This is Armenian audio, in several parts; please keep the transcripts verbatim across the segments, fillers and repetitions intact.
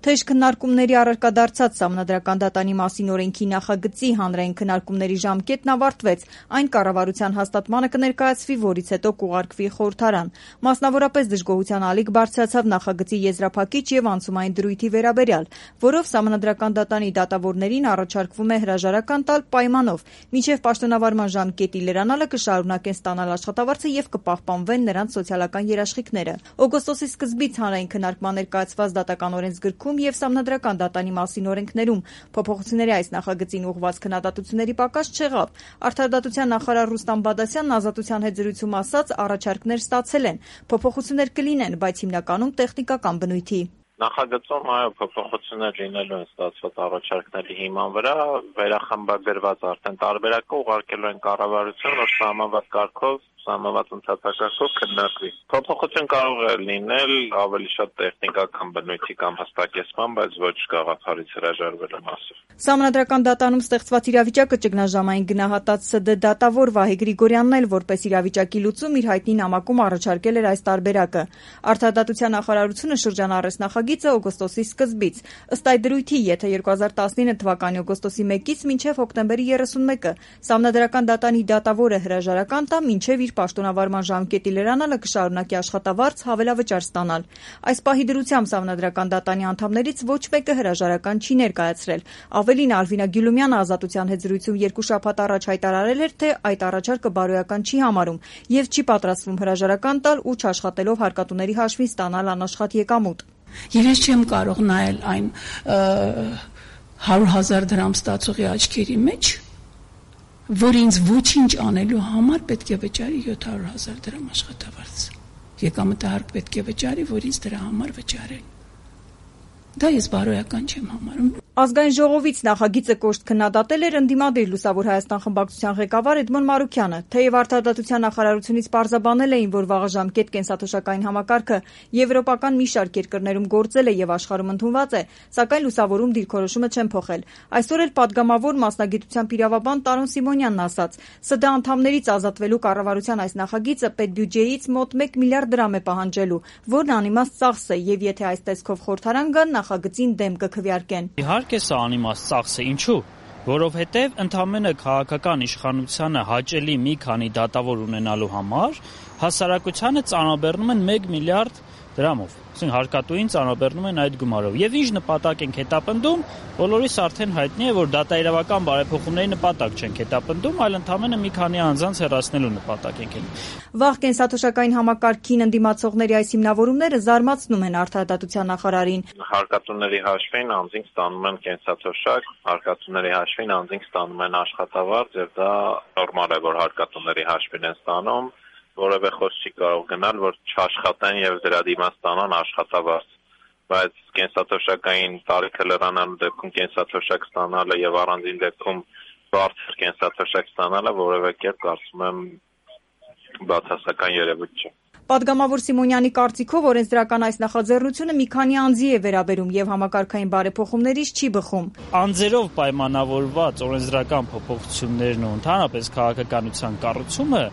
Թեժ քննարկումների առարկա դարձած Սահմանադրական դատանի մասին օրենքի նախագծի հանրային քննարկումների ժամկետն ավարտվեց, այն կառավարության հաստատմանը կներկայացվի, որից հետո կուղարկվի խորհրդարան։ Մասնավորապես դժգոհության ալիք բարձրացավ նախագծի եզրափակիչ եւ անցումային դրույթի վերաբերյալ, որով Սահմանադրական դատանի դատավորներին առաջարկվում է հրաժարական տալ պայմանով, մինչեւ պաշտոնավարման ժամկետի լրանալը կշարունակեն ստանալ աշխատավարձը եւ կպահպանվեն նրանց սոցիալական երաշխիքները։ Օգոստոսի սկզբից հանրային քննարկման ներկայացված դատական օրենսգրքում եւ Սահմանադրական դատանի մասին օրենքներում փոփոխությունների այս նախագծին ուղղված քննադատությունների պակաս չեղավ։ Արդարադատության նախարար Ռուստամ Բադասյանն Ազատության հետ զրույցում ասաց, առաջարկներ ստացել են, փոփոխություններ կլինեն, բայց հիմնականում տեխնիկական բնույթի։ Նախագծում այո փոփոխություններ լինելու են ստացված առաջարկների հիման վրա, վերախմբագրված արդեն տարբերակը ուղարկելու են կառավարություն, որ սահմանված կարգով սահմանված ընթացակարգով քննարկվի։ Փոփոխություն կարող է լինել ավելի շատ տեխնիկական բնույթի կամ հստակեցման, բայց ոչ գաղափարից հրաժարվելու մասով։ Սահմանադրական դատանում ստեղծված իրավիճակը ճգնաժամային գնահատած ՍԴ դատավոր Վահե Գրիգորյանն էլ որպես իրավիճակի լուծում իր հայտնի նամակում առաջարկել էր այս տարբերակը։ Արդարադատության նախարարությունը շրջանառեց նախագիծը օգոստոսի սկզբից։ Ըստ այդ դրույթի, եթե երկու հազար տասնինը թվականի օգոստոսի մեկից մինչև հոկտեմբերի երեսունմեկը Սահմանադրական դատանի դատավորը հրաժարական տա, մինչև իր պաշտոնավարման ժամկետի լրանալը կշարունակի աշխատավարձ հավելավճար ստանալ։ Այս պահի դրությամբ Սահմանադրական դատանի անդամներից ոչ մեկը հրաժարական չի ներկայացրել։ Ավելին, Ալվինա Գյուլումյանը Ազատության հետ զրույցում երկու շաբաթ առաջ հայտարարել էր, թե այդ առաջարկը բարոյական չի համարում եւ չի պատրաստվում հրաժարական տալ ու չաշխատելով հարկատուների հաշվին ստանալ անաշխատ եկամուտ։ Ես չեմ կարող նայել այն հարյուր հազար դրամ ստացողի աչքերի մեջ, որ ինձ ոչինչ անելու համար պետք է վճարի յոթ հարյուր հազար դրամ աշխատավարձ։ Եկամտահարկ պետք է վճարի, որ ինձ դրա համար վճարեն։ Դա ես բարոյական չեմ համարում։ Ազգային ժողովից նախագիծը կոշտ քննադատել էր ընդդիմադիր Լուսավոր Հայաստան խմբակցության ղեկավար Էդմոն Մարուքյանը, թեև Արդարադատության նախարարությունից պարզաբանել էին, որ վաղաժամկետ կենսաթոշակային համակարգը եվրոպական մի շարք երկրներում գործել է եւ աշխարհում ընդունված է, սակայն Լուսավորում դիրքորոշումը չեն փոխել։ Այսօր էլ падգամավոր մասնագիտությամբ իրավաբան Տարոն Սիմոնյանն ասաց, ՍԴ անդամներից ազատվելու կառավարության այս նախագիծը պետբյուջեից մոտ մեկ միլիարդ դրամ է պահանջելու, որն անիմաստ ծախս է եւ եթե այս տեսքով խորհրդարան գան, նախագծին դեմ կքվեարկեն։ Իհարկե սա անիմաստ ծախս է, ինչու՞։ Որովհետև ընդամենը քաղաքական իշխանությանը հաճելի մի քանի դատավոր ունենալու համար հասարակությանը ծանրաբեռնում են մեկ միլիարդ դրամով։ Այսինքն հարկատուին ծանրաբեռնում են այդ գումարով։ Եվ ինչ նպատակ ենք հետապնդում, բոլորիս արդեն հայտնի է, որ դատաիրավական բարեփոխումների նպատակ չենք հետապնդում, այլ ընդամենը մի քանի անձանց հեռացնելու նպատակ ենք հետապնդում։ Վաղ կենսաթոշակային համակարգին ընդդիմացողների այս հիմնավորումները զարմացնում են Արդարադատության նախարարին։ Հարկատուների հաշվին անձինք ստանում են կենսաթոշակ, հարկատուների հաշվին անձինք ստանում են աշխատավարձ, եւ դա նորմալ է, որ հարկատուների հաշվին են ստանում, որևէ խոսք չի կարող գնալ, որ չաշխատեն եւ դրա դիմաց ստանան աշխատավարձ, բայց կենսաթոշակային տարիքը լրանալու դեպքում կենսաթոշակ ստանալը եւ առանձին դեպքում բարձր կենսաթոշակ ստանալը որևէ կերպ կարծում եմ բացասական երևույթ չէ։ Պատգամավոր Սիմոնյանի կարծիքով օրենսդրական այս նախաձեռնությունը մի քանի անձի է վերաբերում եւ համակարգային բարեփոխումներից չի բխում։ Անձերով պայմանավորված օրենսդրական փոփոխություններն ու ընդհանրապես քաղաքականության կառուցումը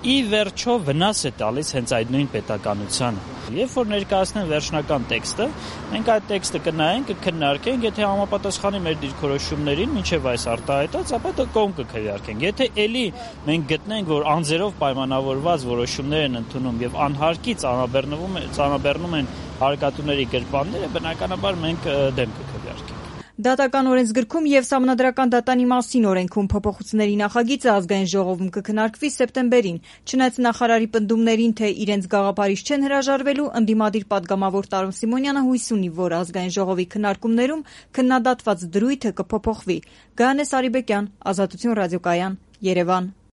ի վերջո վնաս է տալիս հենց այդ նույն պետականությանը։ Երբ որ ներկայացնեն վերջնական տեքստը, մենք այդ տեքստը կնայենք, կքննարկենք, եթե համապատասխանի մեր դիրքորոշումներին, մինչև այս արտահայտած, ապա դա կողմ կքվեարկենք։ Եթե էլի մենք գտնենք, որ անձերով պայմանավորված որոշումներ են ընդունում եւ անհարկի ծանրաբեռնվում ծանրաբեռնում են հարկատուների գրպանները, բնականաբար մենք դեմ կքվեարկենք։ Դատական օրենսգրքում եւ Սահմանադրական դատանի մասին օրենքում փոփոխությունների նախագիծը ազգային ժողովում կքննարկվի սեպտեմբերին։ Չնայած նախարարի պնդումներին, թե իրենց գաղափարից չեն հրաժարվելու, ընդդիմադիր падգամավոր Տարոն Սիմոնյանը հույս ունի, որ ազգային ժողովի քննարկումներում քննադատված դրույթը կփոփոխվի։ Գայանե Սարիբեկյան, Ազատություն ռադիոկայան, Երևան։